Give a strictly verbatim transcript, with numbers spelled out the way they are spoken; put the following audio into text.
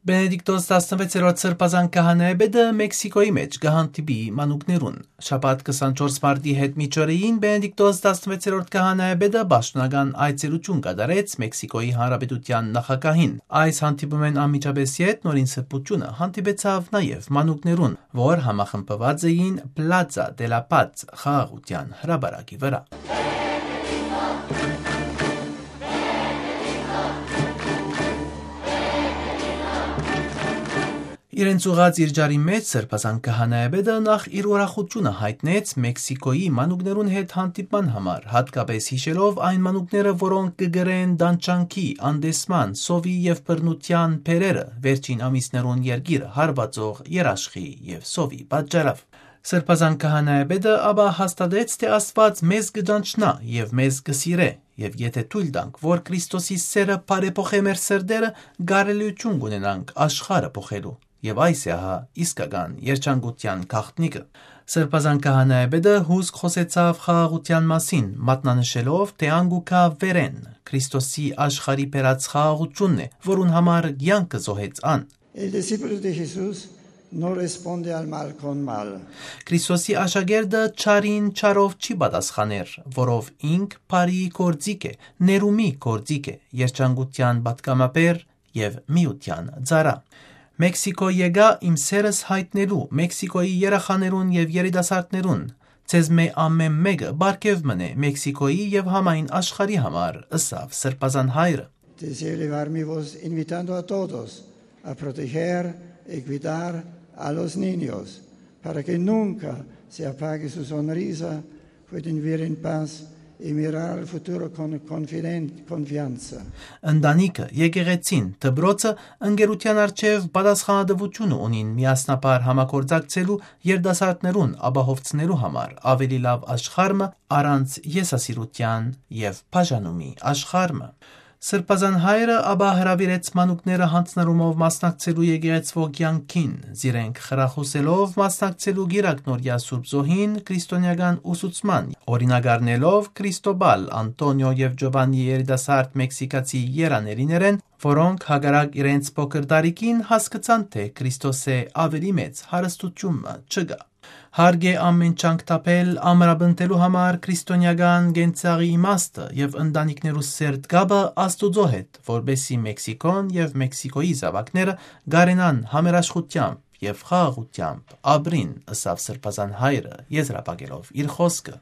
Բենեդիկտոս տասնվեցերորդ սրբազան քահանայապետը Մեքսիկոյի մէջ կը հանդիպի մանուկներուն։ Շաբաթ քսանչորս մարտի հետ միջօրեին Բենեդիկտոս տասնվեցերորդ քահանայապետը պաշտօնական այցելութիւն կատարեց Մեքսիկոյի Հանրապետութեան նախագահին։ Այս հանդիպումէն անմիջապէս յետ Նորին Սրբութիւնը հանդիպեցաւ նաեւ մանուկներուն, որ համախմբուած էին Պլազա դե լա Պաց խաղաղութեան հրապարակի վրայ։ Իրենց ուղղած իր ճառի մէջ Սրբազան քահանայապետը նախ իր ուրախութիւնը յայտնեց Մեքսիկոյի մանուկներուն հետ հանդիպման համար, յատկապէս յիշելով այն մանուկները, որոնք կը կրեն տանջանքի, անտեսման, սովի եւ բռնութեան բերերը, վերջին ամիսներուն երկիրը հարուածող երաշխի եւ սովի պատճառով։ Սրբազան քահանայապետը ապա հաստատեց, թէ Աստուած մեզ կը ճանչնայ եւ մեզ կը սիրէ, եւ եթէ թոյլ տանք, որ Քրիստոսի սէրը բարեփոխէ մեր սրտերը, կարելիութիւն կ'ունենանք աշխարհը փոխելու։ Եւ այս է ահա իսկական երջանկութեան գաղտնիքը։ Սրբազան քահանայապետը հուսկ խօսեցաւ խաղաղութեան մասին, մատնանշելով, թէ ան կու գայ վերէն, Քրիստոսի աշխարհի բերած խաղաղութիւնն է, որուն համար կեանքը զոհեց ան։ El discípulo de Jesús no responde al mal con mal. Քրիստոսի աշակերտը չարին չարով չի պատասխաներ, որով ինք բարի գործիք է, ներումի գործիք է, երջանկութեան պատգամաբեր եւ միութեան ծառայ։ Մեքսիկոյ եկայ իմ սէրս յայտնելու Մեքսիկոյի երեխաներուն եւ երիտասարդներուն։ Ձեզմէ ամէն մէկը պարգեւ մըն է Մեքսիկոյի եւ համայն աշխարհի համար, ըսաւ Սրբազան հայրը։ Deseo elevar mi voz invitando a todos a proteger y cuidar a los niños para que nunca se apague su sonrisa, puedan vivir en paz y mirar al futuro con confiden- confianza. Ընտանիքը, եկեղեցին, դպրոցը ընկերութեան առջեւ պատասխանատուութիւնը ունին միասնաբար համագործակցելու երիտասարդներուն ապահովցնելու համար ավելի լաւ աշխարհ մը առանց եսասիրութեան եւ բաժանումի աշխարհ մը։ Սրբազան հայրը ապա հրաւիրեց մանուկները յանձնառումով մասնակցելու եկեղեցւոյ կեանքին, զիրենք խրախուսելով մասնակցելու Կիրակնօրեայ Սուրբ Զոհին քրիստոնեական ուսուցման, օրինակ առնելով Քրիստոբալ, Անտոնիո եւ Ջովաննի երիտասարդ մեքսիկացի երանելիներէն, որոնք հակառակ իրենց փոքր տարիքին հասկցան, թէ Քրիստոսէ աւելի մեծ հարստութիւն մը չկայ։ Հարկ է ամէն ջանք թափել ամրապնդելու համար քրիստոնեական կենցաղի իմաստը եւ ընտանիքներու սերտ կապը Աստուծոյ հետ, որպէսզի Մեքսիկոն եւ Մեքսիկոյի զաւակները կարենան համերաշխութեամբ եւ խաղաղութեամբ ապրին, ըսաւ Սրբազան հայրը, եզրափակելով իր խօսքը։